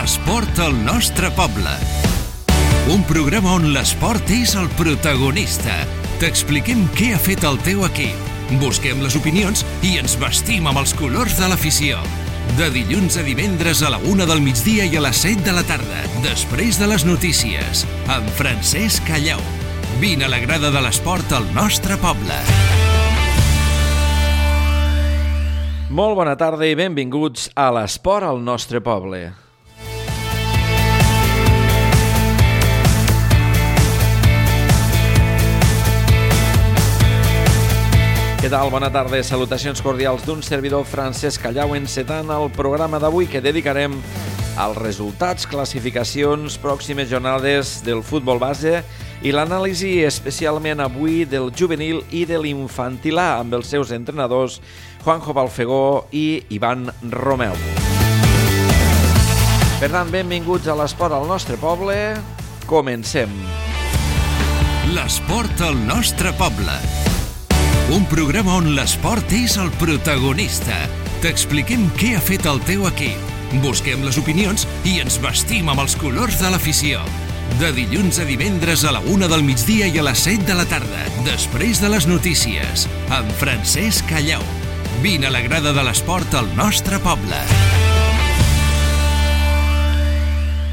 L'esport al nostre poble. Un programa on l'esport és el protagonista. T'expliquem què ha fet el teu equip. Busquem les opinions i ens vestim amb els colors de l'afició. De dilluns a divendres a la 1 del migdia i a les 7 de la tarda, després de les notícies, amb Francesc Callau. Vine a la grada de l'esport al nostre poble. Molt bona tarda i benvinguts a l'esport al nostre poble. Què tal? Bona tarda. Salutacions cordials d'un servidor Francesc Callau encetant el programa d'avui que dedicarem als resultats, classificacions, pròximes jornades del futbol base i l'anàlisi especialment avui del juvenil i de l'infantil A amb els seus entrenadors Juanjo Balfegó i Ivan Romeu. Per tant, benvinguts a l'esport al nostre poble. Comencem. L'esport al nostre poble. Un programa on l'esport és el protagonista. T'expliquem què ha fet el teu equip. Busquem les opinions i ens vestim amb els colors de l'afició. De dilluns a divendres a la 1 del migdia i a les 7 de la tarda, després de les notícies, amb Francesc Callau. Vine a la grada de l'esport al nostre poble.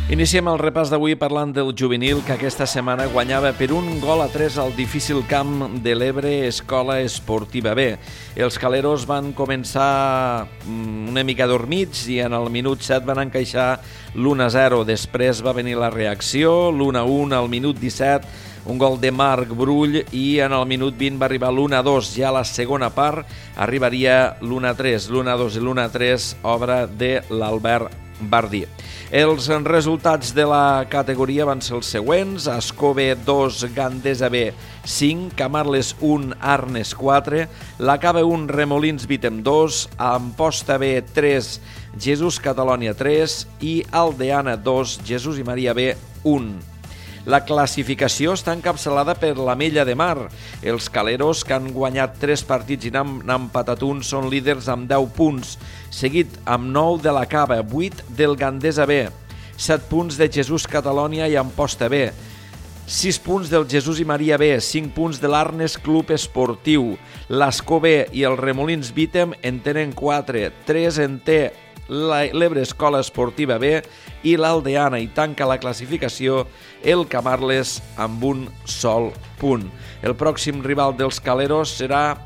Iniciem el repàs d'avui parlant del juvenil que aquesta setmana guanyava per 1-3 al difícil camp de l'Ebre Escola Esportiva B. Els caleros van començar una mica dormits i en el minut 7 van encaixar l'1-0. Després va venir la reacció, l'1-1 al minut 17, un gol de Marc Brull i en el minut 20 va arribar l'1-2. Ja a la segona part arribaria l'1-3. L'1-2 i l'1-3, obra de l'Albert Bardí. Els resultats de la categoria van ser els següents: Ascove 2, Gandesa B 5, Camarles 1, Arnes 4, la Cava 1, Remolins Vítem 2, Amposta B 3, Jesús Catalònia 3 i Aldeana 2, Jesús i Maria B 1. La classificació està encapçalada per l'Amella de Mar. Els caleros, que han guanyat 3 partits i n'han empatat un, són líders amb 10 punts, seguit amb 9 de la Cava, 8 del Gandesa B, 7 punts de Jesús Catalònia i Amposta B, 6 punts del Jesús i Maria B, 5 punts de l'Arnes Club Esportiu. l'Ascó B i el Remolins Vítem en tenen 4, 3 en té l'Ebre Escola Esportiva B i l'Aldeana, i tanca la classificació el Camarles amb un sol punt. El pròxim rival dels caleros serà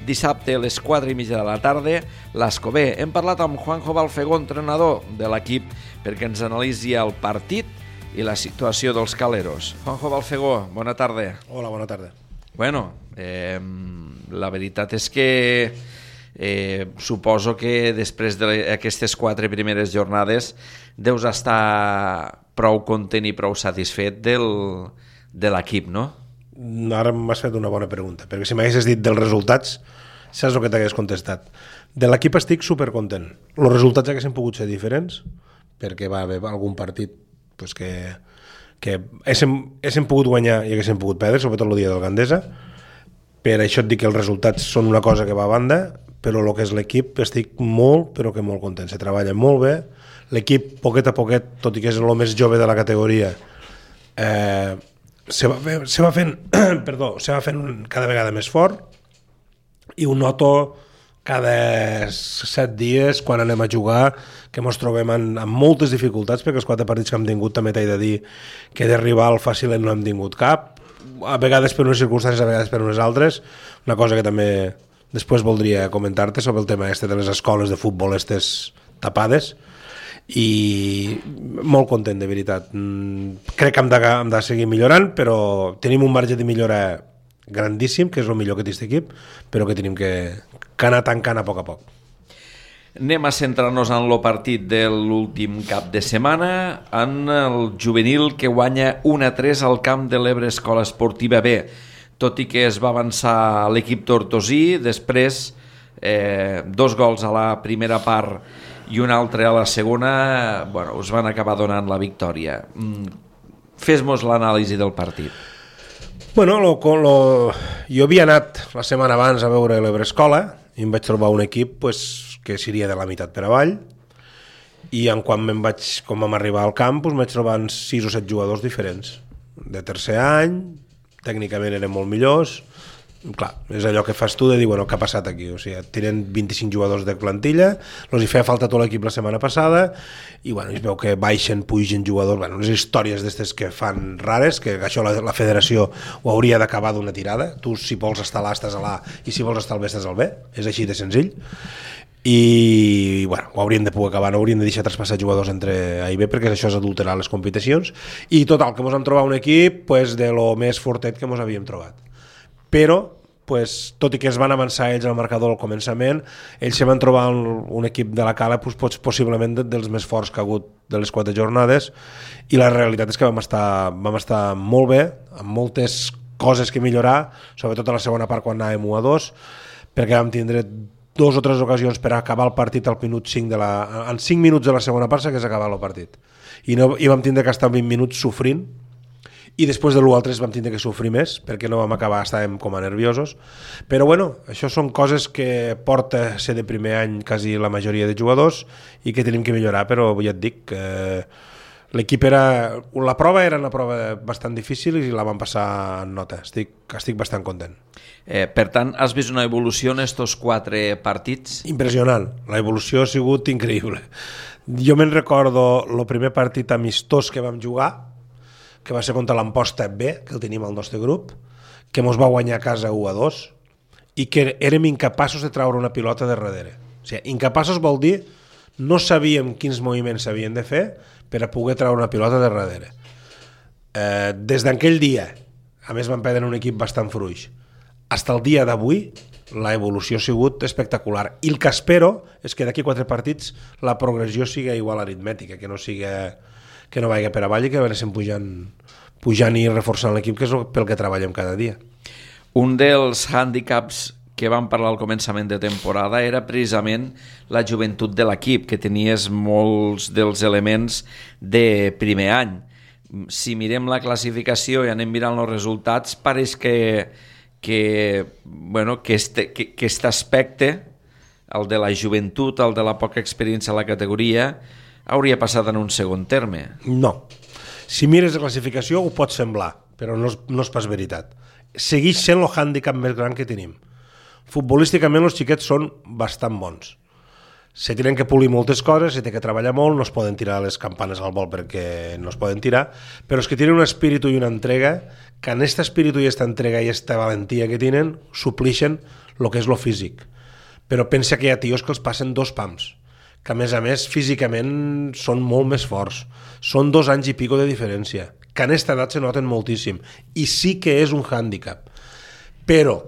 dissabte a les 4:30 de la tarda, l'Ascó B. Hem parlat amb Juanjo Balfegó, entrenador de l'equip, perquè ens analitzi el partit i la situació dels caleros. Juanjo Balfegó, bona tarda. Hola, bona tarda. Bueno, la veritat és que suposo que després d'aquestes 4 primeres jornades deus estar prou content i prou satisfet de l'equip, no? Ara m'has fet una bona pregunta, perquè si m'haguessis dit dels resultats, saps el que t'hagués contestat. De l'equip estic supercontent. Els resultats haguessin pogut ser diferents, perquè va haver algun partit pues, que haguéssim pogut guanyar i haguéssim pogut perdre, sobretot el dia del Gandesa. Per això et dic que els resultats són una cosa que va a banda, però el que és l'equip estic molt, però que molt content. Se treballa molt bé. L'equip, poquet a poquet, tot i que és el més jove de la categoria, se va fent cada vegada més fort, i ho noto cada 7 dies quan anem a jugar, que ens trobem amb moltes dificultats, perquè els 4 partits que hem tingut també t'he de dir que de rival fàcil no hem tingut cap, a vegades per unes circumstàncies, a vegades per unes altres. Una cosa que també després voldria comentar-te sobre el tema de les escoles de futbol tapades, i molt content, de veritat. Crec que hem de seguir millorant, però tenim un marge de millora grandíssim, que és el millor que té aquest equip, però que tenim que anar tancant a poc. Anem a centrar-nos en el partit de l'últim cap de setmana, en el juvenil que guanya 1-3 al camp de l'Ebre Escola Esportiva B. Tot i que es va avançar l'equip tortosí, després 2 gols a la primera part i un altre a la segona, us van acabar donant la victòria. Fes-nos l'anàlisi del partit. Bueno, jo havia anat la setmana abans a veure l'Ebre Escola i em vaig trobar un equip que seria de la meitat per avall, i quan vam arribar al camp doncs vaig trobar 6 o 7 jugadors diferents de tercer any, tècnicament eren molt millors. Clar, és allò que fas tu de dir, bueno, què ha passat aquí? O sigui, tenen 25 jugadors de plantilla, els hi feia falta tot l'equip la setmana passada, i bueno, es veu que baixen, pugen jugadors, bueno, unes històries d'aquestes que fan rares, que això la federació ho hauria d'acabar d'una tirada. Tu, si vols estar a l'A, estàs a l'A, i si vols estar al B, estàs al B. És així de senzill. I bueno, ho haurien de poder acabar, no haurien de deixar traspassar jugadors entre A i B, perquè això és adulterar les competicions. I total, que ens vam trobar un equip pues, de lo més fortet que ens havíem trobat. Però, pues, tot i que es van avançar ells al marcador al començament, ells se van trobar un equip de la Cala pues, possiblement dels més forts que ha hagut de les 4 jornades, i la realitat és que vam estar molt bé, amb moltes coses que millorar, sobretot a la segona part quan anàvem 1-2, perquè vam tindre 2 o 3 ocasions per acabar el partit al minut 5 en 5 minuts de la segona part s'hagués acabat el partit. I vam tindre que estar 20 minuts sofrint, i després de l'1-3 vam tindre que sofrir més perquè no vam acabar, estàvem com a nerviosos, però bueno, això són coses que porta a ser de primer any quasi la majoria de jugadors i que tenim que millorar, però ja et dic que l'equip la prova era una prova bastant difícil i la vam passar en nota, estic bastant content. Per tant, has vist una evolució en estos 4 partits? Impressionant, la evolució ha sigut increïble. Jo me'n recordo el primer partit amistós que vam jugar, que va ser contra l'Amposta B, que el tenim al nostre grup, que mos va guanyar a casa 1-2, i que érem incapaços de treure una pilota de darrere. O sigui, incapaços vol dir no sabíem quins moviments s'havien de fer per a poder treure una pilota de darrere. Des d'aquell dia, a més vam perdre un equip bastant fluix, fins al dia d'avui, la evolució ha sigut espectacular. I el que espero és que d'aquí 4 partits la progressió sigui igual aritmètica, que no vagi per avall i que anessin pujant i reforçant l'equip, que és pel que treballem cada dia. Un dels hàndicaps que vam parlar al començament de temporada era precisament la joventut de l'equip, que tenies molts dels elements de primer any. Si mirem la classificació i anem mirant els resultats, pareix que aquest aspecte, el de la joventut, el de la poca experiència a la categoria, hauria passat en un segon terme. No. Si mires la classificació ho pot semblar, però no és pas veritat. Segueix sent el hàndicap més gran que tenim. Futbolísticament els xiquets són bastant bons. Se tenen que polir moltes coses, se té que treballar molt, no es poden tirar les campanes al vol perquè no es poden tirar, però és que tenen un espíritu i una entrega que en aquest espíritu i aquesta entrega i aquesta valentia que tenen suplixen el que és lo físic. Però pensa que hi ha tios que els passen 2 pams, que a més físicament són molt més forts. Són 2 anys i pico de diferència, que en aquesta edat se noten moltíssim, i sí que és un hàndicap. Però,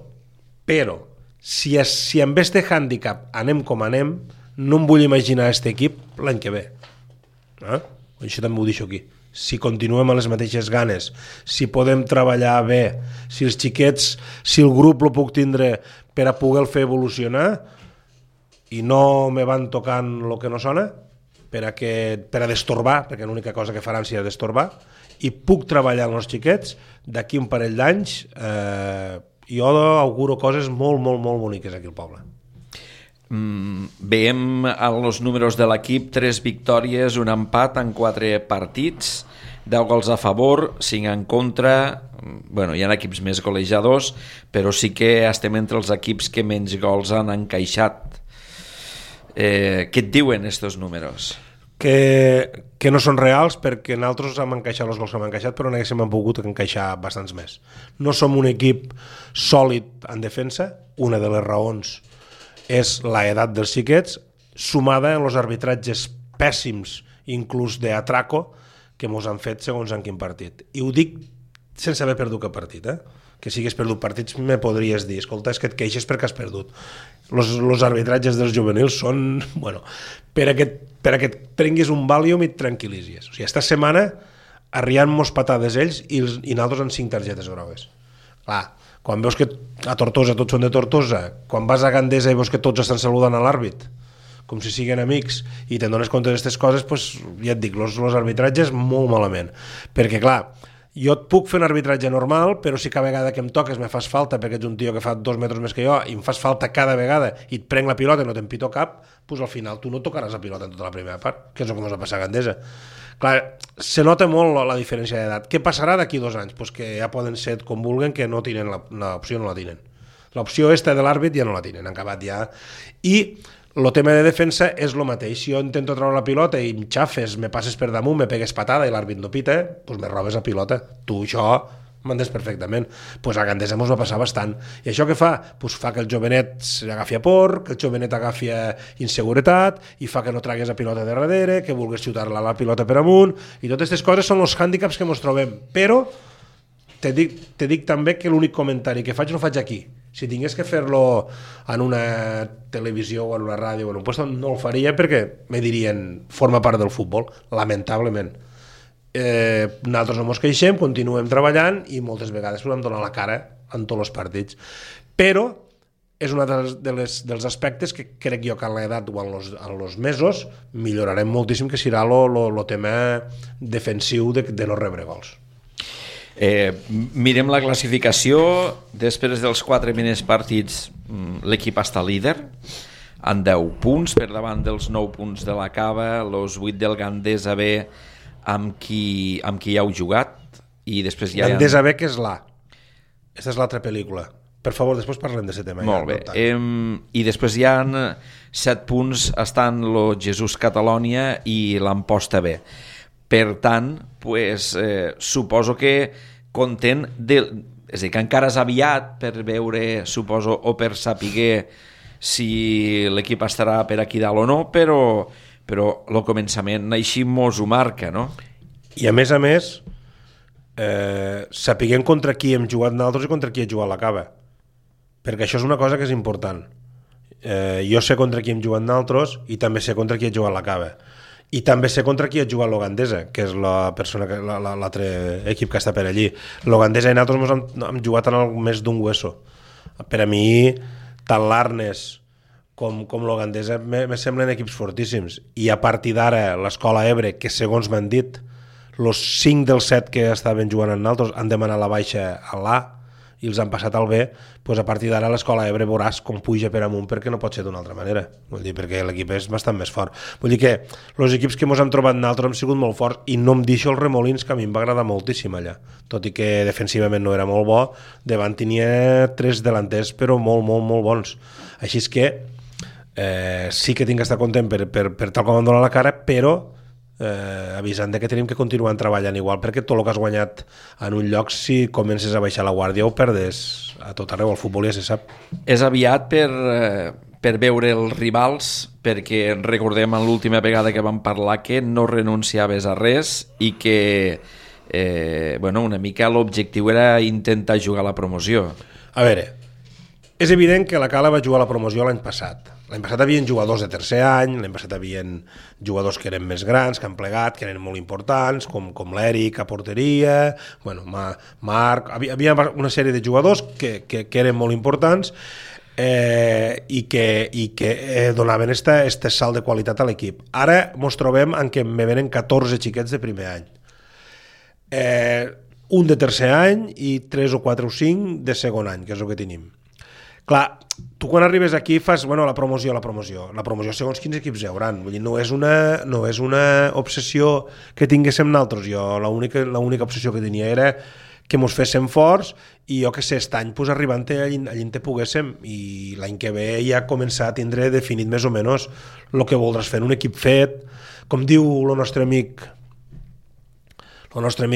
si amb este hàndicap anem com anem, no em vull imaginar aquest equip l'any que ve. Això també ho deixo aquí. Si continuem amb les mateixes ganes, si podem treballar bé, si els xiquets, si el grup lo puc tindre per a poder fer evolucionar, i no me van tocant el que no sona per a destorbar, perquè l'única cosa que faran serà destorbar, i puc treballar amb els xiquets, d'aquí un parell d'anys jo auguro coses molt, molt, molt boniques aquí al poble. Veiem els números de l'equip: 3 victòries, un empat en 4 partits, 10 gols a favor, 5 en contra. Bueno, hi ha equips més golejadors, però sí que estem entre els equips que menys gols han encaixat. Què et diuen estos números? Que no són reals, perquè nosaltres hem encaixat els gols que hem encaixat, però n'haguéssim pogut encaixar bastants més. No som un equip sòlid en defensa. Una de les raons és l'edat dels xiquets, sumada en els arbitratges pèssims, inclús d'atraco, que mos han fet segons en quin partit. I ho dic sense haver perdut cap partit, que si hagués perdut partits me podries dir, escolta, és que et queixes perquè has perdut. Els arbitratges dels juvenils són, bueno, per a que et prenguis un Valium i et tranquil·litzis. O sigui, esta setmana arriant-mos patades ells i nosaltres amb 5 targetes grogues. Clar, quan veus que a Tortosa tots són de Tortosa, quan vas a Gandesa i veus que tots estan saludant a l'àrbit, com si siguin amics, i te'n dones compte d'aquestes coses, doncs, ja et dic, els arbitratges molt malament. Perquè, clar, Jo et puc fer un arbitratge normal, però si cada vegada que em toques me fas falta perquè ets un tio que fa 2 metres més que jo i em fas falta cada vegada i et prenc la pilota i no te'n pito cap, doncs al final tu no tocaràs la pilota en tota la primera part, que és el que ens va passar a Gandesa. Clar, se nota molt la diferència d'edat. Què passarà d'aquí 2 anys? Pues que ja poden ser com vulguen, que no tenen l'opció, no la tenen. L'opció esta de l'àrbit ja no la tenen, han acabat ja. I el tema de defensa és el mateix. Si jo intento treure la pilota i em xafes, me passes per damunt, me pegues patada i l'àrbit no pita, doncs me robes la pilota. Tu això m'entens perfectament. Doncs a Gandesa mos va passar bastant. I això què fa? Doncs fa que el jovenet agafi a por, que el jovenet agafi a inseguretat i fa que no tragues la pilota de darrere, que vulguis xutar-la la pilota per amunt, i totes aquestes coses són els hàndicaps que mos trobem. Però te dic també que l'únic comentari que faig no faig aquí. Si tingués que fer-lo en una televisió o en una ràdio o en un lloc, no el faria perquè me dirien forma part del futbol, lamentablement. Nosaltres no ens queixem, continuem treballant i moltes vegades podem donar la cara en tots els partits. Però és un dels aspectes que crec jo que a l'edat o en els mesos millorarem moltíssim, que serà el tema defensiu de no rebre gols. Mirem la classificació. Després dels 4 primers partits l'equip està líder amb 10 punts per davant dels 9 punts de la Cava, els 8 del Gandesa B amb qui ja heu jugat, i després ja Gandesa B, que és l'A. Aquesta és l'altra pel·lícula. Per favor, després parlem d'aquest tema. Molt bé. I després hi ha 7 punts, estan el Jesús Catalònia i l'Amposta B. Per tant, suposo que content és a dir, que encara és aviat per veure, suposo, o per saber si l'equip estarà per aquí dalt o no, però el començament així mos ho marca, no? I a més, sapiguem contra qui hem jugat nosaltres i contra qui ha jugat la Cava, perquè això és una cosa que és important. Jo sé contra qui hem jugat nosaltres i també sé contra qui ha jugat la Cava. I també sé contra qui ha jugat l'Ogandesa, que és l'altre equip que està per allí. L'Ogandesa i nosaltres hem jugat en més d'un hueso. Per a mi, tant l'Arnes com l'Ogandesa me semblen equips fortíssims. I a partir d'ara, l'Escola Ebre, que segons m'han dit, els 5 dels 7 que estaven jugant amb nosaltres han demanat la baixa a l'A i els han passat al B, doncs a partir d'ara l'Escola Ebre veuràs com puja per amunt, perquè no pot ser d'una altra manera. Vull dir, perquè l'equip és bastant més fort. Vull dir que els equips que ens hem trobat nosaltres han sigut molt forts, i no em deixo els Remolins, que a mi em va agradar moltíssim allà. Tot i que defensivament no era molt bo, davant tenia 3 delanters, però molt, molt, molt bons. Així és que sí que tinc que estar content per tal com em dona la cara, però avisant que tenim que continuar treballant igual, perquè tot el que has guanyat en un lloc, si comences a baixar la guàrdia, ho perdes a tot arreu. El futbol ja se sap. És aviat per veure els rivals, perquè recordem en l'última vegada que vam parlar que no renunciaves a res i que una mica l'objectiu era intentar jugar a la promoció. A veure, és evident que la Cala va jugar a la promoció l'any passat. L'any passat havien jugadors de tercer any, l'any passat havien jugadors que eren més grans, que han plegat, que eren molt importants, com l'Eric a porteria, Marc... Havia una sèrie de jugadors que eren molt importants i que donaven este salt de qualitat a l'equip. Ara ens trobem en què me venen 14 xiquets de primer any. Un de tercer any i 3 o 4 o 5 de segon any, que és el que tenim. Clar, tu quan arribes aquí fas la promoció. La promoció segons quins equips hi hauran. Vull dir, no és una obsessió que tinguéssim nosaltres. Jo l'única obsessió que tenia era que mos féssim forts i jo que sé, aquest any arribant allà te poguéssim, i l'any que ve ja començar a tindre definit més o menys el que voldràs fer, un equip fet, com diu el nostre amic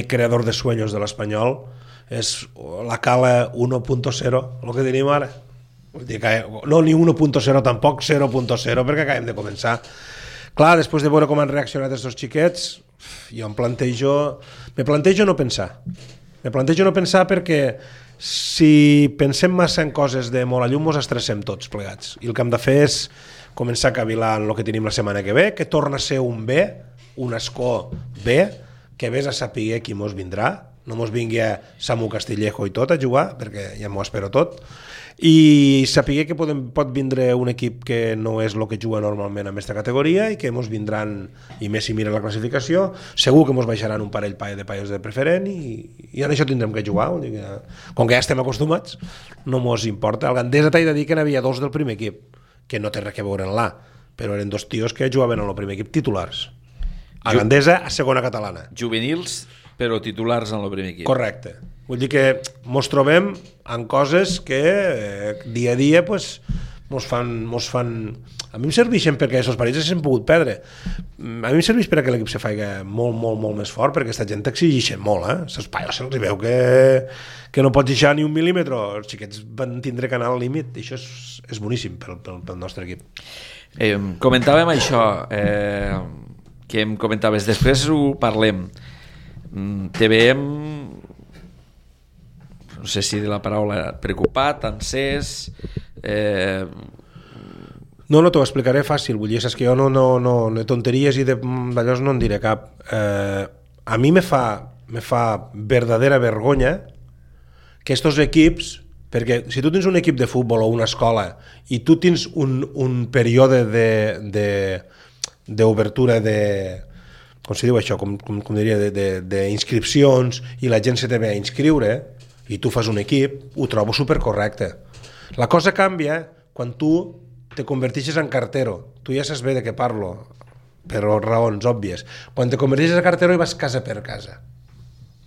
creador de sueños de l'Espanyol, és la Cala 1.0, el que tenim ara. No, ni 1.0 tampoc, 0.0, perquè acabem de començar. Clar, després de veure com han reaccionat aquests xiquets, jo me plantejo no pensar. Me plantejo no pensar perquè si pensem massa en coses de molt a llum ens estressem tots plegats. I el que hem de fer és començar a cavilar en el que tenim la setmana que ve, que torna a ser un B, un escó B, que vés a saber qui mos vindrà. no mos vingui a Samu Castillejo i tot a jugar, perquè ja m'ho espero tot, i saber que pot vindre un equip que no és el que juga normalment en aquesta categoria i que mos vindran, i més si mira la classificació, segur que mos baixaran un parell de paios de preferent i en això tindrem que jugar. Com que ja estem acostumats, no mos importa. El Gandesa t'he de dir que n'hi havia 2 del primer equip, que no té res a veure en l'A, però eren 2 tios que jugaven en el primer equip titulars. A Gandesa, a segona catalana. Juvenils, però titulars en el primer equip. Correcte. Vull dir que mos trobem en coses que dia a dia pues, mos fan... A mi em serveixen perquè aquests partits s'han pogut perdre. A mi em serveix perquè l'equip se faci molt, molt, molt més fort, perquè aquesta gent t'exigeixen molt, eh? Se'ls paios se'ls veu que no pots deixar ni un mil·límetre. Els xiquets van tindre que anar al límit, i això és boníssim pel nostre equip. Comentàvem això, que em comentaves, després ho parlem. Te veiem, no sé si la paraula preocupat, encès... No, t'ho explicaré fàcil, vull dir, saps que jo no de tonteries i d'allò no en diré cap. A mi me fa verdadera vergonya que estos equips, perquè si tu tens un equip de futbol o una escola i tu tens un període d'obertura com se diu això, com diria, d'inscripcions, i la gent se te ve a inscriure i tu fas un equip, ho trobo supercorrecte. La cosa canvia quan tu te converteixes en cartero. Tu ja saps bé de què parlo, per raons òbvies. Quan te converteixes en cartero i vas casa per casa.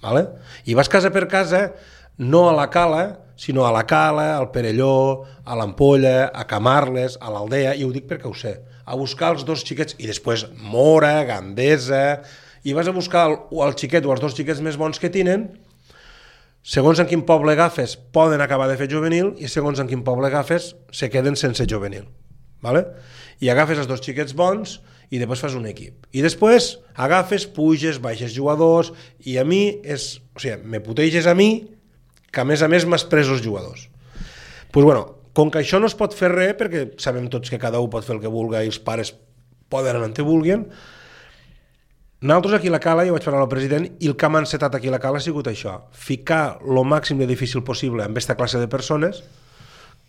¿Vale? I vas casa per casa no a la Cala, sinó a la Cala, al Perelló, a l'Ampolla, a Camarles, a l'Aldea, i ho dic perquè ho sé, a buscar els 2 xiquets, i després Mora, Gandesa, i vas a buscar el xiquet o els 2 xiquets més bons que tenen, segons en quin poble agafes poden acabar de fer juvenil, i segons en quin poble agafes se queden sense juvenil. ¿Vale? I agafes els 2 xiquets bons i després fas un equip. I després agafes, puges, baixes jugadors, i a mi me puteges a mi que a més m'has pres els jugadors. Pues bueno, com que això no es pot fer res, perquè sabem tots que cada un pot fer el que vulgui i els pares poden anar on te vulguin, nosaltres aquí a la Cala, jo vaig parlar al president, i el que hem encetat aquí a la Cala ha sigut això, ficar el màxim de difícil possible amb aquesta classe de persones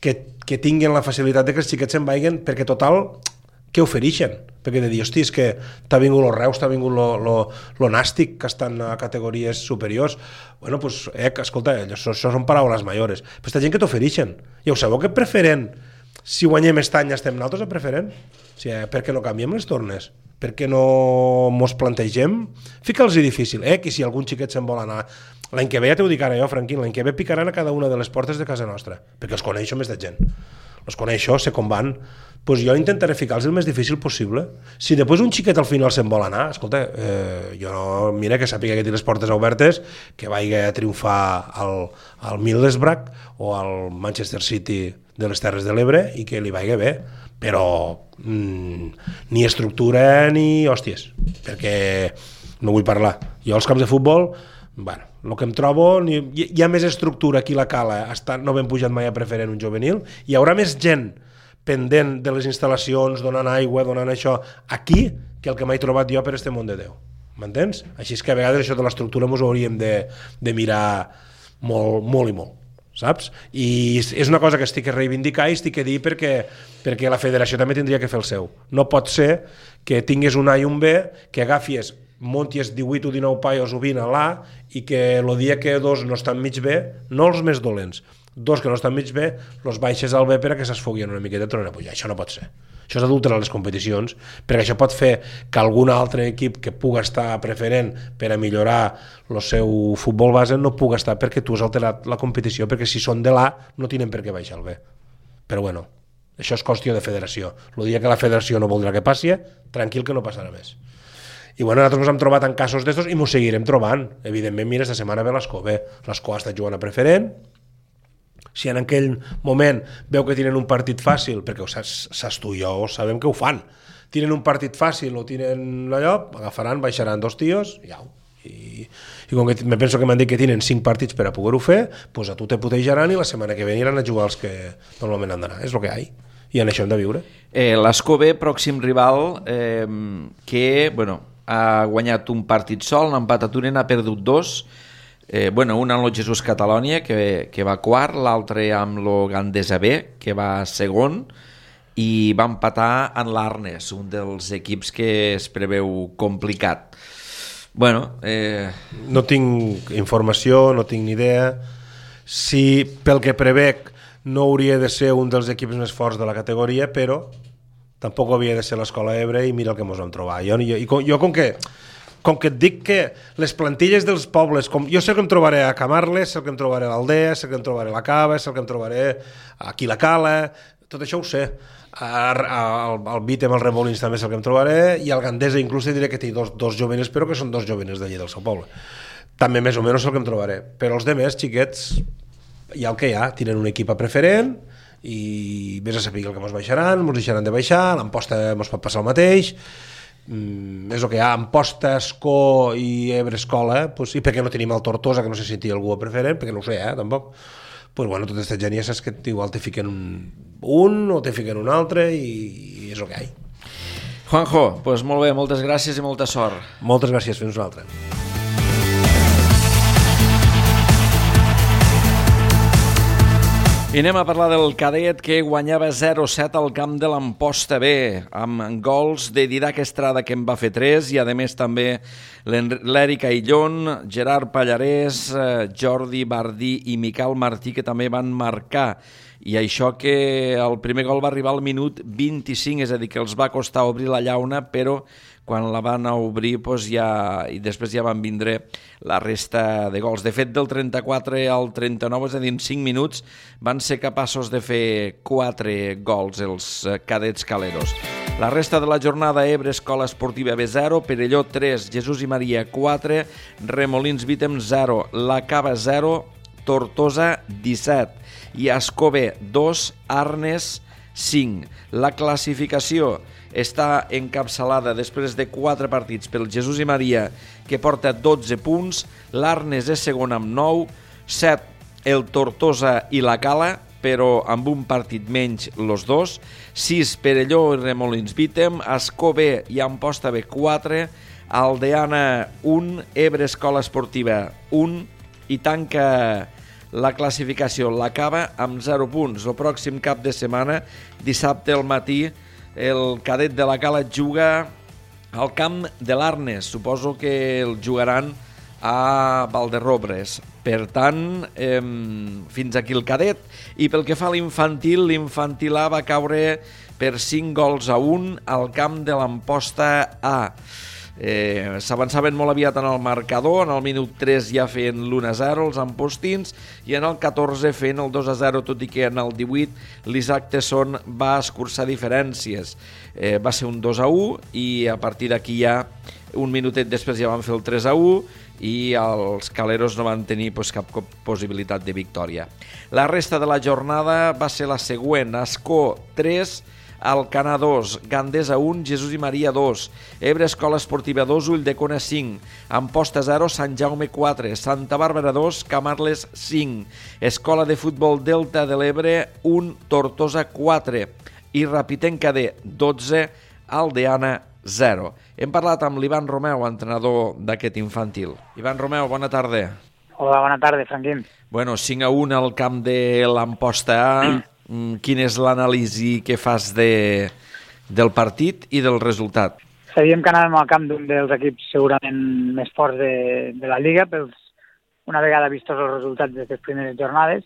que tinguin la facilitat de que els xiquets se'n vagin, perquè total, què ofereixen? Perquè de dir, hosti, és que t'ha vingut el Reus, t'ha vingut lo Nàstic, que estan a categories superiors. Bueno, pues, escolta, això són paraules majores. Però aquesta gent que t'ofereixen. Ja ho sabeu que preferent, si guanyem aquest any estem nosaltres a preferent? O sigui, per què no canviem les tornes? Per què no mos plantegem? Fica'ls-hi difícil, que si algun xiquet se'n vol anar... L'any que ve, ja t'ho dic ara jo, Franquín, l'any que ve picaran a cada una de les portes de casa nostra, perquè els coneixo més de gent. Els coneixo, sé com van. Pues jo intentaré ficar-los el més difícil possible. Si després un xiquet al final se'n vol anar, escolta, mira que sàpiga que té les portes obertes, que vagi a triomfar al Middlesbrough o al Manchester City de les Terres de l'Ebre i que li vagi bé, però ni estructura ni hòsties, perquè no vull parlar. Jo als camps de futbol, bueno, el que em trobo, hi ha més estructura aquí a la Cala, no ben pujat mai a preferent un juvenil, hi haurà més gent pendent de les instal·lacions, donant aigua, donant això, aquí, que el que m'he trobat jo per este món de Déu. M'entens? Així és que a vegades això de l'estructura ens ho hauríem de mirar molt, molt i molt, saps? I és una cosa que estic a reivindicar i estic a dir perquè la federació també tindria que fer el seu. No pot ser que tingués un A i un B, que agafies, monties 18 o 19 paios o 20 a l'A i que el dia que 2 no estan mig bé, no els més dolents, 2 que no estan mig bé, els baixes al B per a que s'esfoguien una miqueta i tornen a pujar. Això no pot ser. Això és adulterar les competicions, perquè això pot fer que algun altre equip que puga estar preferent per a millorar el seu futbol base no puga estar perquè tu has alterat la competició, perquè si són de l'A no tenen per què baixar al B. Però bueno, això és qüestió de federació. El dia que la federació no voldrà que passi, tranquil que no passarà més. I bueno, nosaltres ens hem trobat en casos d'estos i ens seguirem trobant. Evidentment, mira, esta setmana ve l'Escó. L'Escó està jugant a preferent. Si en aquell moment veu que tenen un partit fàcil, perquè saps tu i jo sabem que ho fan, tenen un partit fàcil o tenen allò, agafaran, baixaran 2 tios i au. I com que me penso que m'han dit que tenen 5 partits per a poder-ho fer, doncs a tu te putejaran i la setmana que ve aniran a jugar els que normalment han d'anar. És el que hi ha. I en això hem de viure. L'Escó B, pròxim rival, que, bueno, ha guanyat un partit sol, n'ha empatat un, n'ha perdut 2. un amb el Jesús Catalònia, que va quart, l'altre amb el Gandesa B, que va segon, i va empatar en l'Arnes, un dels equips que es preveu complicat. No tinc informació, no tinc ni idea. Si pel que prevec no hauria de ser un dels equips més forts de la categoria, però tampoc havia de ser l'Escola Ebre, i mira el que ens vam trobar. Jo com que et dic que les plantilles dels pobles, jo sé que em trobaré a Camarles, sé que em trobaré a l'Aldea, sé que em trobaré a la Cava, sé que em trobaré aquí a la Cala, tot això ho sé. Al Vítem, al Remolins també sé que em trobaré, i al Gandesa inclús diré que té dos jóvenes, però que són dos jóvenes d'allí del seu poble. També més o menys sé que em trobaré. Però els demés, xiquets, hi ha el que hi ha, tenen un equip a preferent, i vés a saber el que ens baixaran, ens deixaran de baixar, l'Amposta ens pot passar el mateix. És el que hi ha. Amposta, Escó i Ebre Escola, i perquè no tenim el Tortosa, que no sé si té algú a preferent, perquè no ho sé, tampoc. Tota aquesta gent ja saps que igual te fiquen un o te fiquen un altre, i és el que hi ha. Juanjo, molt bé, moltes gràcies i molta sort. Moltes gràcies, fins nosaltres. I anem a parlar del cadet, que guanyava 0-7 al camp de l'Amposta B, amb gols de Didac Estrada, que en va fer 3, i a més també l'Eric Aillón, Gerard Pallarès, Jordi Bardí i Miquel Martí, que també van marcar. I això que el primer gol va arribar al minut 25, és a dir, que els va costar obrir la llauna, però quan la van obrir i després ja van vindre la resta de gols. De fet, del 34 al 39, és a dir, en 5 minuts, van ser capaços de fer 4 gols els cadets caleros. La resta de la jornada: Ebre Escola Esportiva B 0, Perelló 3, Jesús i Maria 4, Remolins Vítem 0, La Cava 0, Tortosa 17 i Escó B 2, Arnes 5. La classificació està encapçalada després de 4 partits pel Jesús i Maria, que porta 12 punts, l'Arnes és segon amb 9, 7 el Tortosa i la Cala, però amb un partit menys los dos, 6 Perelló i Remolins Vítem, Escó B i Amposta B 4, Aldeana 1, Ebre Escola Esportiva 1, i tanca la classificació la Cava amb 0 punts. El pròxim cap de setmana, dissabte al matí, el cadet de la Cala juga al camp de l'Arnes. Suposo que el jugaran a Valderrobres. Per tant, fins aquí el cadet. I pel que fa a l'infantil, l'infantil A va caure per 5-1 al camp de l'Amposta A. S'avançaven molt aviat en el marcador, en el minut 3 ja feien l'1-0 els ampostins, i en el 14 feien el 2-0, tot i que en el 18 l'Isaac Tesson va escurçar diferències. Va ser un 2-1, i a partir d'aquí ja un minutet després ja van fer el 3-1, i els caleros no van tenir cap possibilitat de victòria. La resta de la jornada va ser la següent: Escó 3, Alcanar 2, Gandesa 1, Jesús i Maria 2, Ebre Escola Esportiva 2, Ulldecona 5, Amposta 0, Sant Jaume 4, Santa Bàrbara 2, Camarles 5, Escola de Futbol Delta de l'Ebre 1, Tortosa 4 i Rapitenca D 12, Aldeana 0. Hem parlat amb l'Ivan Romeu, entrenador d'aquest infantil. Ivan Romeu, bona tarda. Hola, bona tarda, Franquín. 5-1 al camp de l'Amposta A. Quin és l'anàlisi que fas del partit i del resultat? Sabíem que anàvem al camp d'un dels equips segurament més forts de la Lliga, una vegada vistos els resultats d'aquestes primeres jornades,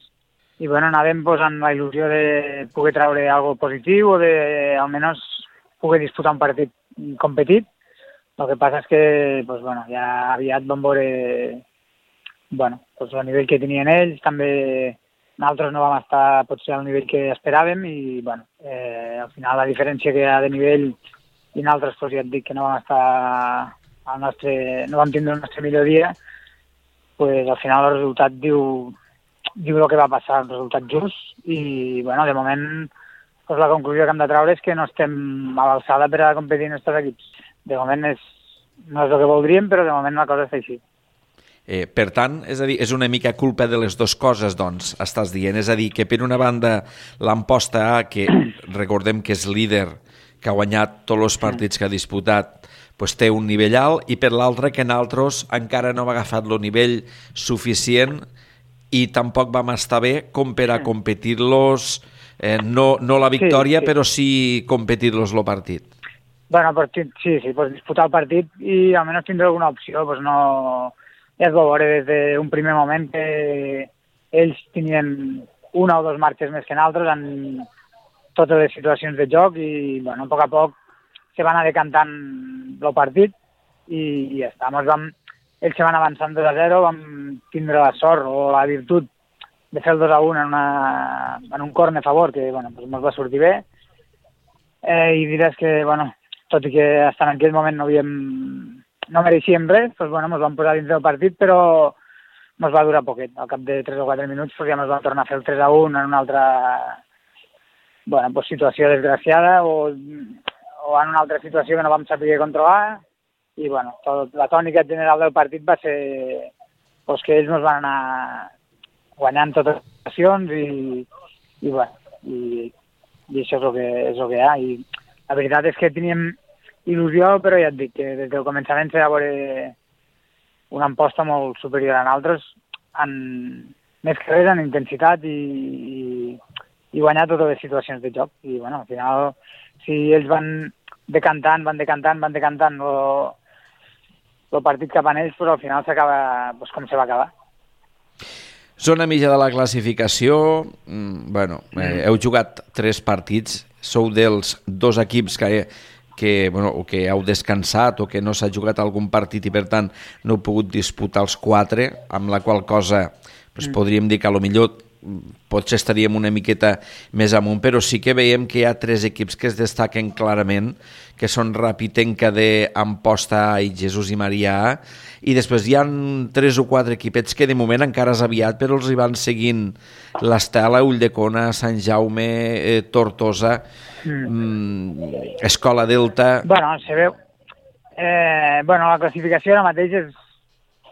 i anàvem amb la il·lusió de poder treure alguna cosa positiu o de almenys poder disputar un partit competit. El que passa és que ja aviat vam veure el nivell que tenien ells, també nosaltres no vam estar potser al nivell que esperàvem, i al final la diferència que hi ha de nivell i nosaltres ja et dic que no vam estar no vam tindre el nostre millor dia, al final el resultat diu el que va passar, el resultat just, i de moment la conclusió que hem de treure és que no estem a l'alçada per a competir en aquests equips. De moment no és el que voldríem, però de moment la cosa està així. Per tant, és a dir, és una mica culpa de les dues coses, doncs, estàs dient. És a dir, que per una banda l'Amposta A, que recordem que és líder, que ha guanyat tots els partits que ha disputat, pues, té un nivell alt, i per l'altre que nosaltres encara no hem agafat el nivell suficient i tampoc vam estar bé com per a competir-los, no la victòria, però sí competir-los el partit. Bueno, sí, pues disputar el partit i almenys tindre alguna opció, pues no... Ja es va veure des d'un primer moment que ells tenien una o dos marxes més que nosaltres en totes les situacions de joc i, bueno, a poc se van anar decantant el partit i ja està. Ells se van avançant 2-0, vam tindre la sort o la virtut de fer el 2-1 en un córner a favor, que, bueno, pues ens va sortir bé. I diràs que, bueno, tot i que fins en aquell moment no mereixíem res, doncs, bueno, ens vam posar dins del partit, però ens va durar poquet. Al cap de 3 o 4 minuts ja ens vam tornar a fer el 3-1 en una altra situació desgraciada o en una altra situació que no vam saber controlar. I la tònica general del partit va ser que ells ens van anar guanyant totes les situacions i això és el que hi ha. I la veritat és que teníem il·lusió, però ja et dic que des del començament s'ha de veure una amposta molt superior a nosaltres, més que res en intensitat i guanyar totes les situacions de joc. I al final, si ells van decantant el partit cap a ells, però al final s'acaba com se va acabar. Zona mitja de la classificació, heu jugat 3 partits, sou dels 2 equips que heu descansat o que no s'ha jugat algun partit i per tant no heu pogut disputar els 4, amb la qual cosa podríem dir que potser potser estaríem una miqueta més amunt, però sí que veiem que hi ha 3 equips que es destaquen clarament, que són Rapitenca de Amposta i Jesús i Marià, i després hi ha 3 o 4 equipets que de moment encara és aviat, però els hi van seguint l'Estela, Ulldecona, Sant Jaume, Tortosa, Escola Delta... Se veu. La classificació ara mateix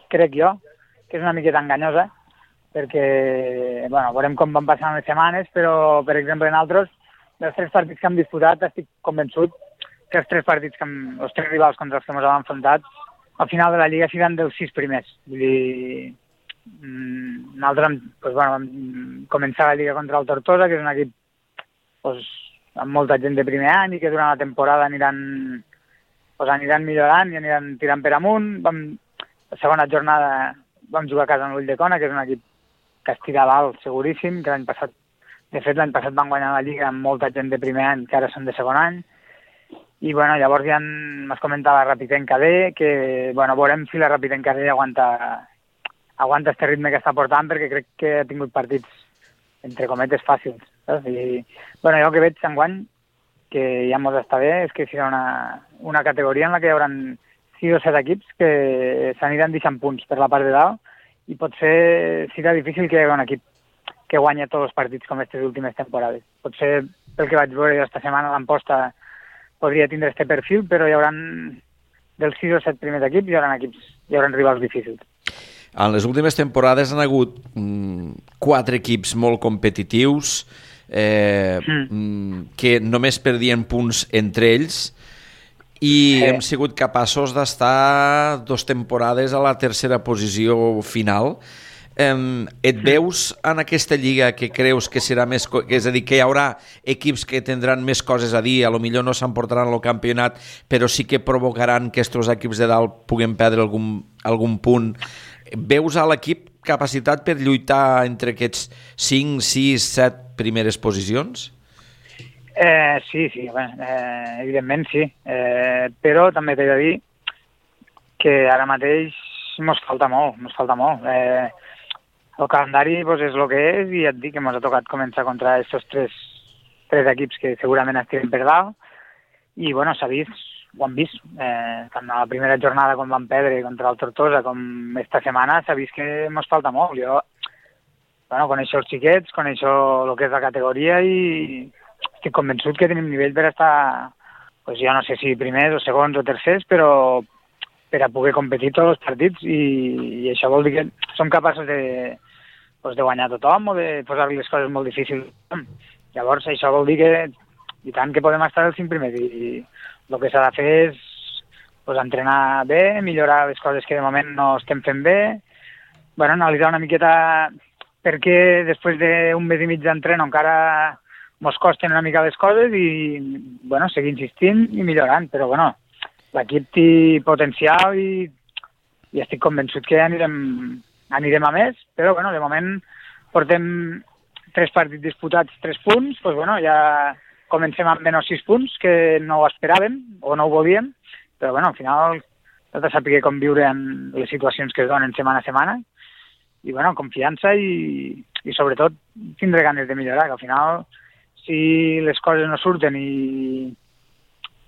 crec jo, que és una miqueta enganyosa, perquè, veurem com van passant les setmanes, però, per exemple, nosaltres, dels 3 partits que hem disputat, estic convençut que els 3 partits, els 3 rivals contra els que ens hem enfrontat, al final de la Lliga seran dels 6 primers. Vull dir, nosaltres vam començar la Lliga contra el Tortosa, que és un equip amb molta gent de primer any i que durant la temporada aniran millorant i aniran tirant per amunt. La segona jornada vam jugar a casa amb l'Ulldecona, que és un equip que estirava alt, seguríssim, que l'any passat van guanyar la Lliga amb molta gent de primer any, que ara són de segon any. I llavors ja m'has comentat la Rapitenca D, que veurem si la Rapitenca D aguanta este ritme que està portant, perquè crec que ha tingut partits, entre cometes, fàcils. Saps? I jo el que veig enguany, que ja mos està bé, és que serà una categoria en la que hi haurà 6 o 7 equips que s'aniran deixant punts per la part de dalt, i potser serà difícil que hi hagi un equip que guanya tots els partits com aquestes últimes temporades. Potser, pel que vaig veure aquesta setmana, l'Amposta podria tindre este perfil, però hi haurà dels 6 o 7 primers equips hi haurà rivals difícils. En les últimes temporades han hagut 4 equips molt competitius que només perdien punts entre ells i hem sigut capaços d'estar 2 temporades a la tercera posició final. Et veus en aquesta lliga que creus que serà més... És a dir, que hi haurà equips que tindran més coses a dir, potser no s'emportaran el campionat, però sí que provocaran que aquests equips de dalt puguen perdre algun punt. Veus a l'equip capacitat per lluitar entre aquests 5, 6, 7 primeres posicions? Sí, evidentment sí, però també t'he de dir que ara mateix mos falta molt. El calendari és el que és i et dic que mos ha tocat començar contra aquests 3 equips que segurament estiguen per dalt i s'ha vist, ho hem vist, tant a la primera jornada quan vam perdre contra el Tortosa com esta setmana s'ha vist que mos falta molt. Jo coneixo els xiquets, coneixo el que és la categoria i estic convençut que tenim nivell per estar, jo no sé si primers o segons o tercers, però per a poder competir tots els partits i això vol dir que som capaços de guanyar tothom o de posar-li les coses molt difícils. Llavors això vol dir que i tant que podem estar als 5 primers i el que s'ha de fer és pues, entrenar bé, millorar les coses que de moment no estem fent bé, bueno, analitzar una miqueta per què després d'un mes i mig d'entreno encara mos costen una mica les coses i, bueno, seguir insistint i millorant, però, bueno, l'equip té potencial i estic convençut que anirem a més, però, bueno, de moment portem 3 partits disputats, 3 punts, doncs, bueno, ja comencem amb menys 6 punts, que no ho esperàvem o no ho volíem, però, bueno, al final hem de saber com viure en les situacions que es donen setmana a setmana i, bueno, confiança i sobretot tindre ganes de millorar, que al final si les coses no surten i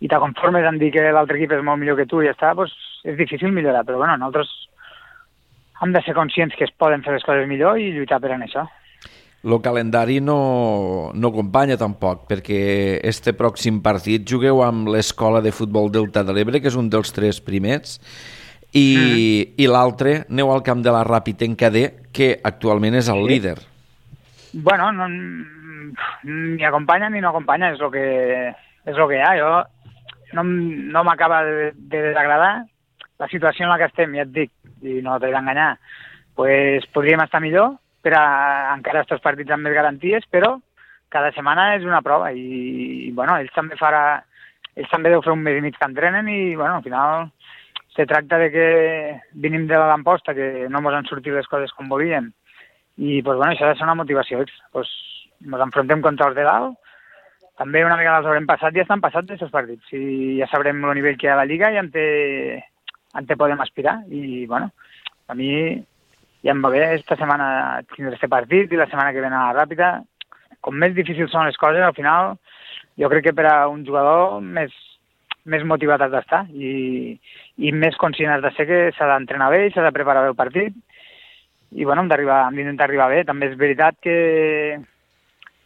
te conformes en dir que l'altre equip és molt millor que tu i ja està, doncs és difícil millorar, però, bueno, nosaltres hem de ser conscients que es poden fer les coses millor i lluitar per en això. El calendari no acompanya tampoc, perquè este pròxim partit jugueu amb l'Escola de Futbol Delta de l'Ebre, que és un dels 3 primers, i l'altre aneu al camp de la Ràpita, que actualment és el líder. Bueno, ni acompanya ni no acompanya, és el que hi ha. Jo no m'acaba de desagradar la situació en la que estem, ja et dic, i no t'he d'enganyar, pues podríem estar millor per a encara estos partits amb més garanties, però cada setmana és una prova i bueno, ells també deu fer un mes i mig que entrenen i, bueno, al final se tracta de que venim de l'Amposta, que no ens han sortit les coses com volíem, i pues, bueno, això ha de ser una motivació extra. Pues, ens enfrontem contra els de dalt, també una vegada els haurem passat, ja estan passats aquests partits, i ja sabrem el nivell que hi ha a la Lliga i on te podem aspirar, i bueno, a mi ja em va bé esta setmana tindre este partit i la setmana que ve a la Ràpita. Com més difícils són les coses, al final jo crec que per a un jugador més motivat has d'estar i més conscient has de ser que s'ha d'entrenar bé i s'ha de preparar bé el partit i bueno, hem d'intentar arribar bé. També és veritat que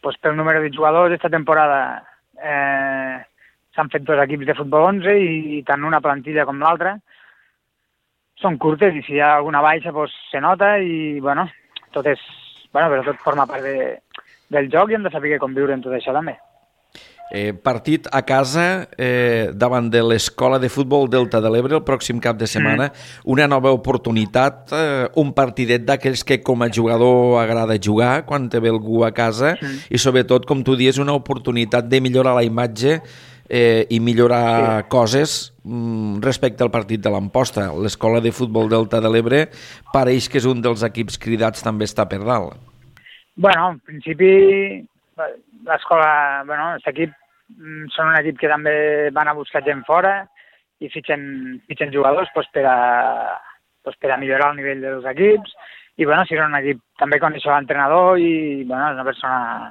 pues, pel número de jugadors esta temporada s'han fet 2 equips de futbol 11 i tant una plantilla com l'altra són curtes i si hi ha alguna baixa pues, se nota i bueno, però tot forma part del joc i hem de saber com viure en tot això també. Partit a casa davant de l'Escola de Futbol Delta de l'Ebre el pròxim cap de setmana, una nova oportunitat, un partidet d'aquells que com a jugador agrada jugar quan te ve algú a casa i sobretot, com tu dius, una oportunitat de millorar la imatge i millorar coses respecte al partit de l'Amposta. L'Escola de Futbol Delta de l'Ebre pareix que és un dels equips cridats, també està per dalt. Bueno, en principi l'escola, bueno, aquest equip són un equip que també van a buscar gent fora i fitxen jugadors pues, per a millorar el nivell dels equips i bueno, si és un equip també coneix l'entrenador i bueno, és una persona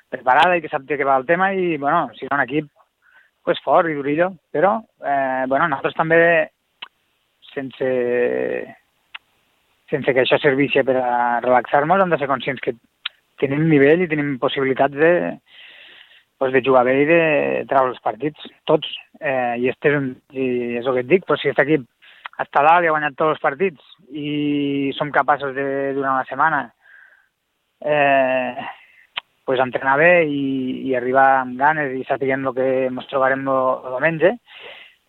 preparada i que sap de què va el tema i bueno, si és un equip pues, fort i durillo, però bueno, nosaltres també sense que això serveixi per a relaxar-nos hem de ser conscients que tenim nivell i tenim possibilitats de jugar bé i de treure els partits, tots. I és el que et dic, però si aquest equip està dalt i ha guanyat tots els partits i som capaços de, durant la setmana, pues, entrenar bé i arribar amb ganes i sapiguem el que ens trobarem el diumenge,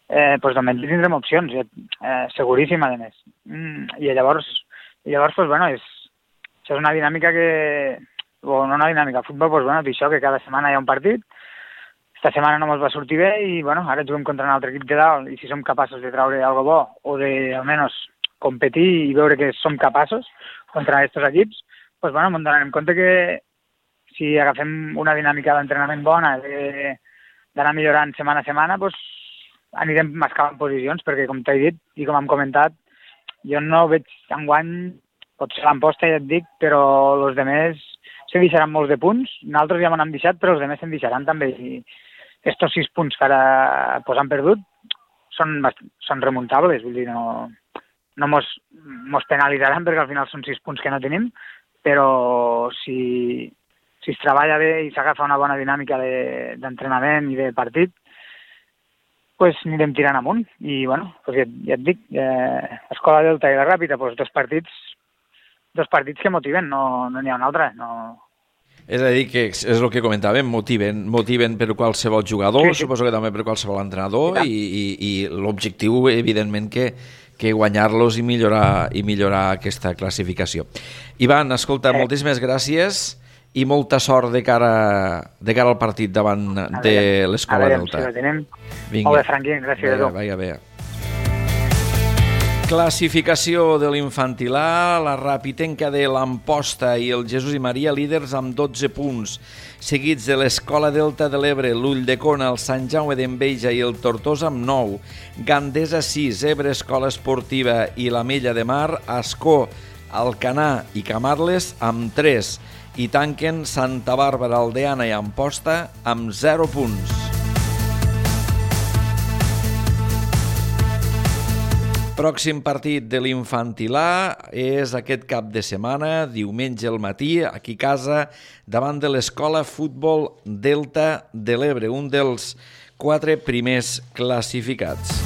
pues, diumenge tindrem opcions, seguríssim, a més. I llavors pues, bueno, això és una dinàmica o no una dinàmica, el futbol, pues, bueno, això, que cada setmana hi ha un partit, esta setmana no ens va sortir bé i bueno, ara juguem contra un altre equip de dalt i si som capaços de treure alguna bo o de almenys competir i veure que som capaços contra aquests equips, pues, bueno, ens donarem compte que si agafem una dinàmica d'entrenament bona, d'anar millorant setmana a setmana, pues, anirem mascant posicions, perquè com t'he dit i com hem comentat, jo no veig enguany, pot ser l'Amposta, ja et dic, però els demés se deixaran molts de punts. Nosaltres ja m'han deixat, però els demés se'n deixaran també. I estos 6 punts que ara pues, han perdut són remuntables, vull dir, no mos penalitzaran perquè al final són 6 punts que no tenim, però si es treballa bé i s'agafa una bona dinàmica d'entrenament i de partit, pues anirem tirant amunt. I, bueno, pues ja et dic, Escola Delta i la Ràpita, pues dos partits que motiven, no n'hi ha un altre. No. És a dir, que és el que comentàvem, motiven per qualsevol jugador, sí. Suposo que també per qualsevol entrenador, i l'objectiu, evidentment, que guanyar-los i millorar aquesta classificació. Ivan, escolta, moltíssimes gràcies i molta sort de cara al partit davant de l'Escola Delta. A veure, si la tenem. Molt bé, Franqui, gràcies a tu. Bé. Classificació de l'infantil A, la Rapitenca de l'Amposta i el Jesús i Maria líders amb 12 punts, seguits de l'Escola Delta de l'Ebre, l'Ulldecona, el Sant Jaume d'Enveja i el Tortosa amb 9, Gandesa 6, Ebre Escola Esportiva i l'Ametlla de Mar, Ascó, Alcanar i Camarles amb 3 i tanquen Santa Bàrbara, Aldeana i Amposta amb 0 punts. Pròxim partit de l'infantil A és aquest cap de setmana, diumenge al matí, aquí a casa, davant de l'Escola Futbol Delta de l'Ebre, un dels 4 primers classificats.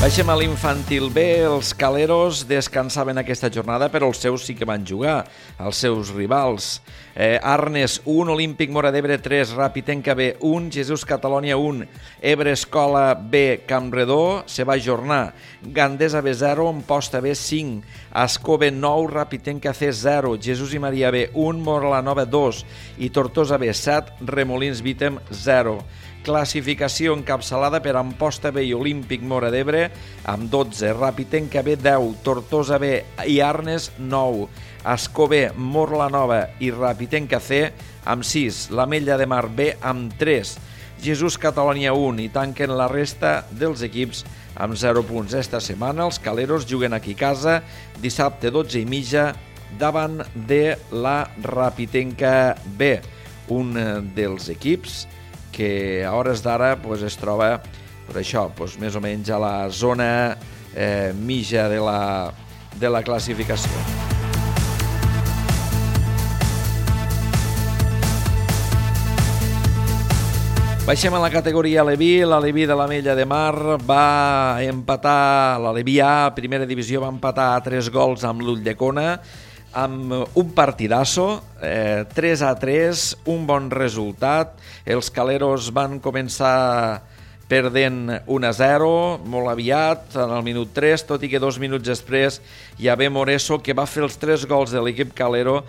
Baixem a l'infantil B, els caleros descansaven aquesta jornada, però els seus sí que van jugar, els seus rivals. Arnes 1, Olímpic Móra d'Ebre 3, Rapitenca B 1, Jesús Catalònia 1, Ebre Escola B Campredó se va ajornar, Gandesa B 0, Amposta B 5, Ascó B 9, Rapitenca C 0, Jesús i Maria B 1, Móra la Nova 2 i Tortosa B 7, Remolins Vítem 0. Classificació encapçalada per Amposta B i Olímpic Móra d'Ebre amb 12, Rapitenca B 10, Tortosa B i Arnes 9, Ascó B, Móra la Nova i Rapitenca C amb 6, l'Ametlla de Mar B amb 3, Jesús Catalònia 1 i tanquen la resta dels equips amb 0 punts. Esta setmana els caleros juguen aquí a casa dissabte 12:30 davant de la Rapitenca B, un dels equips que a hores d'ara es troba per això, més o menys a la zona mitja de la classificació. Baixem a la categoria Aleví. L'Aleví de l'Ametlla de Mar va empatar, l'Aleví A, primera divisió, va empatar a 3 gols amb l'Ulldecona, amb un partidasso, 3-3, un bon resultat. Els caleros van començar perdent 1-0, molt aviat, en el minut 3, tot i que 2 minuts després hi havia Moreso, que va fer els 3 gols de l'equip calero,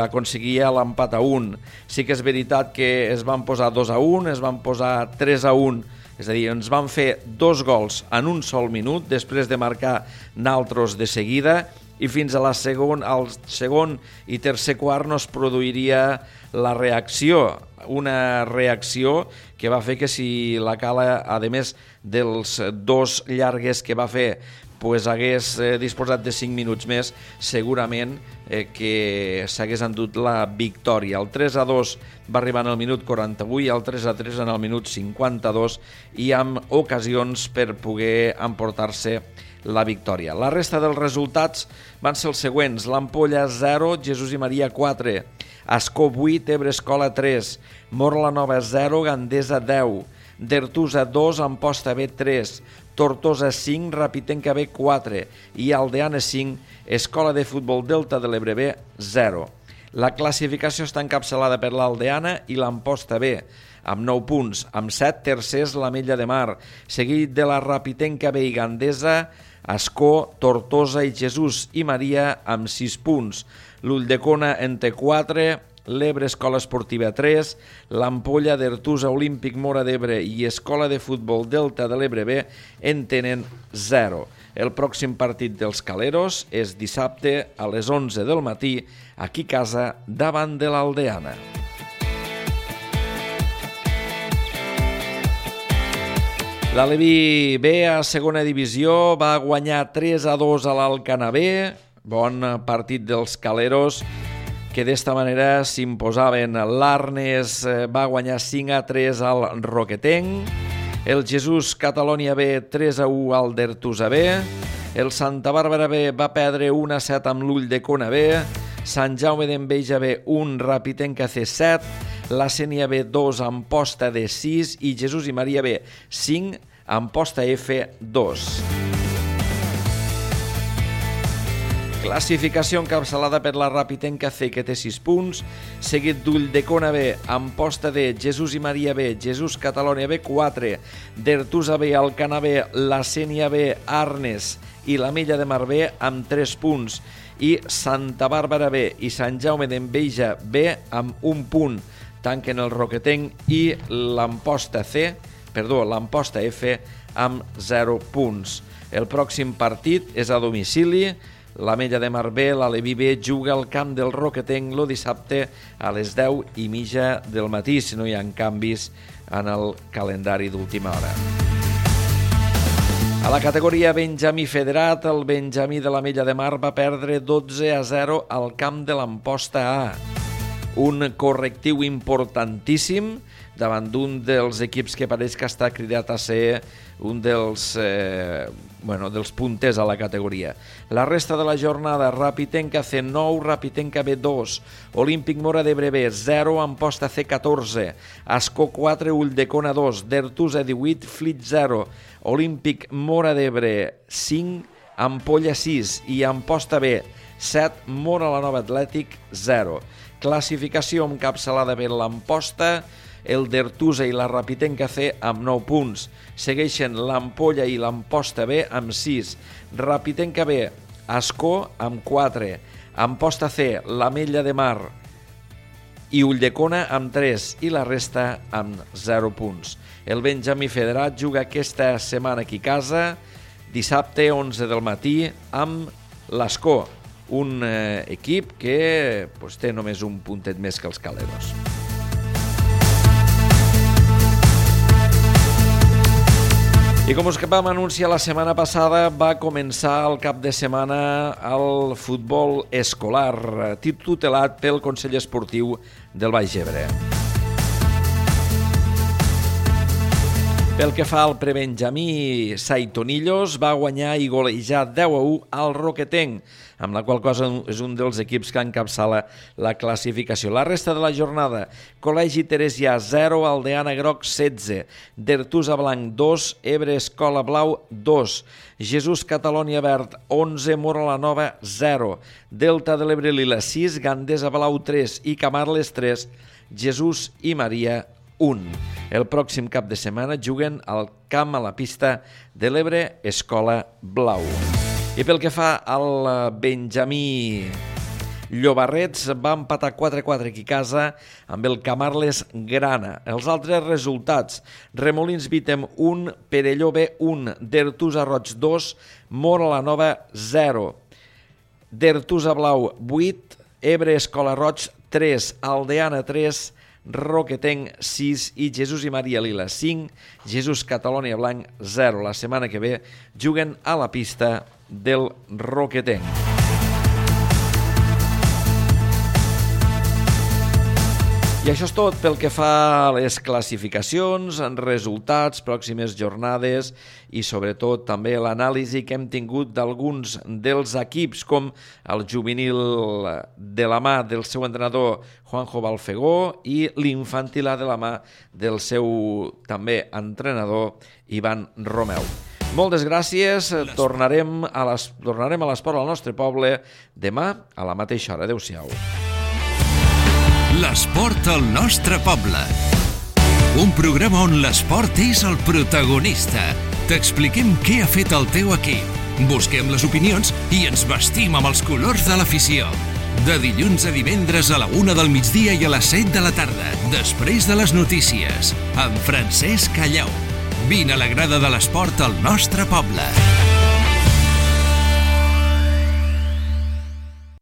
aconseguia l'empat a 1. Sí que és veritat que es van posar 2-1, es van posar 3-1, és a dir, ens van fer 2 gols en un sol minut, després de marcar naltros de seguida, i fins al segon i tercer quart no es produiria la reacció, una reacció que va fer que si la Cala, a més dels 2 llargues que va fer, hagués disposat de 5 minuts més, segurament que s'hagués endut la victòria. El 3-2 va arribar en el minut 48 i el 3-3 en el minut 52 i amb ocasions per poder emportar-se la victòria. La resta dels resultats van ser els següents: l'Ampolla 0, Jesús i Maria 4, Ascó 8, Ebre Escola 3, Móra la Nova 0, Gandesa 10, Dertusa 2, Amposta B 3, Tortosa 5, Rapitenca B 4 i Aldeana 5, Escola de Futbol Delta de l'Ebre B 0. La classificació està encapçalada per l'Aldeana i l'Amposta B, amb 9 punts, amb 7 tercers l'Ametlla de Mar, seguit de la Rapitenca B i Gandesa, Ascó, Tortosa i Jesús i Maria amb 6 punts. L'Ulldecona en té 4, l'Ebre Escola Esportiva 3, l'Ampolla, Dertusa, Olímpic Móra d'Ebre i Escola de Futbol Delta de l'Ebre B en tenen 0. El pròxim partit dels caleros és dissabte a les 11 del matí, aquí a casa, davant de l'Aldeana. L'Aleví B a segona divisió va guanyar 3-2 a l'Alcanar B, bon partit dels caleros, que d'esta manera s'imposaven. L'Arnes va guanyar 5-3 al Roquetenc, el Jesús Catalònia B 3-1 al Dertusa B, el Santa Bàrbara B va perdre 1-7 amb l'Ulldecona B, Sant Jaume d'Enveja B 1, Rapitenca C 7, la Sénia B 2, Amposta D 6 i Jesús i Maria B 5, Amposta F 2. Classificació encapçalada per la Rapitenca C, que té 6 punts, seguit d'Ulldecona B, Amposta D, Jesús i Maria B, Jesús Catalònia B, 4, d'Ertusa B, Alcanar B, la Sénia B, Arnes i l'Ametlla de Mar B amb 3 punts, i Santa Bàrbara B i Sant Jaume d'Enveja B amb 1 punt. Tanquen el Roquetenc i l'Amposta F amb 0 punts. El pròxim partit és a domicili. L'Ametlla de Mar B, l'Aleví B, juga al camp del Roquetenc el dissabte a les 10:30 del matí, si no hi ha canvis en el calendari d'última hora. A la categoria Benjamí Federat, el Benjamí de l'Ametlla de Mar va perdre 12-0 al camp de l'Amposta A. Un correctiu importantíssim davant d'un dels equips que pareix que està cridat a ser un dels punters a la categoria. La resta de la jornada: Rapitenca C 9, Rapitenca B 2, Olímpic Móra d'Ebre B 0, Amposta C 14, Ascó 4, Ulldecona 2, d'Ertusa 18, Flit 0, Olímpic Móra d'Ebre 5, Ampolla 6 i Amposta B 7, Móra la Nova Atlètic 0. Classificació encapçalada per l'Amposta, el d'Ertusa i la Rapitenca C amb 9 punts. Segueixen l'Ampolla i l'Amposta B amb 6. Rapitenca B, Ascó amb 4. Amposta C, l'Ametlla de Mar i Ulldecona amb 3 i la resta amb 0 punts. El Benjamí Federat juga aquesta setmana aquí a casa, dissabte 11 del matí, amb l'Ascó, un equip que té només un puntet més que els Caleros. I com us vam anunciar la setmana passada, va començar el cap de setmana el futbol escolar, tutelat pel Consell Esportiu del Baix Ebre. Pel que fa al prebenjamí, Saitonillos va guanyar i golejar 10-1 al Roquetenc, amb la qual cosa és un dels equips que encapçala la classificació. La resta de la jornada: Col·legi Teresià 0, Aldeana Groc 16, d'Ertusa Blanc 2, Ebre Escola Blau 2, Jesús Catalònia Verd 11, Móra la Nova 0, Delta de l'Ebre Lila 6, Gandesa Blau 3 i Camarles 3, Jesús i Maria 1. El pròxim cap de setmana juguen al camp a la pista de l'Ebre Escola Blau. I pel que fa al Benjamí, Llobarrets va empatar 4-4 aquí a casa amb el Camarles Grana. Els altres resultats: Remolins Vítem 1, Perelló B 1, d'Ertusa Roig 2, Móra la Nova 0, d'Ertusa Blau 8, Ebre Escola Roig 3, Aldeana 3, Roquetenc 6 i Jesús i Maria Lila 5, Jesús Catalònia Blanc 0. La setmana que ve juguen a la pista del Roquetenc. I això és tot pel que fa a les classificacions, resultats, pròximes jornades i sobretot també l'anàlisi que hem tingut d'alguns dels equips, com el juvenil de la mà del seu entrenador Juanjo Balfegó i l'infantil de la mà del seu també entrenador Ivan Romeu. Moltes gràcies, tornarem a l'esport al nostre poble demà a la mateixa hora. Adéu-siau. L'esport al nostre poble. Un programa on l'esport és el protagonista. T'expliquem què ha fet el teu equip. Busquem les opinions i ens vestim amb els colors de l'afició. De dilluns a divendres a la 1 del migdia i a les 7 de la tarda, després de les notícies, amb Francesc Callau. Vine a la grada de l'esport al nostre poble.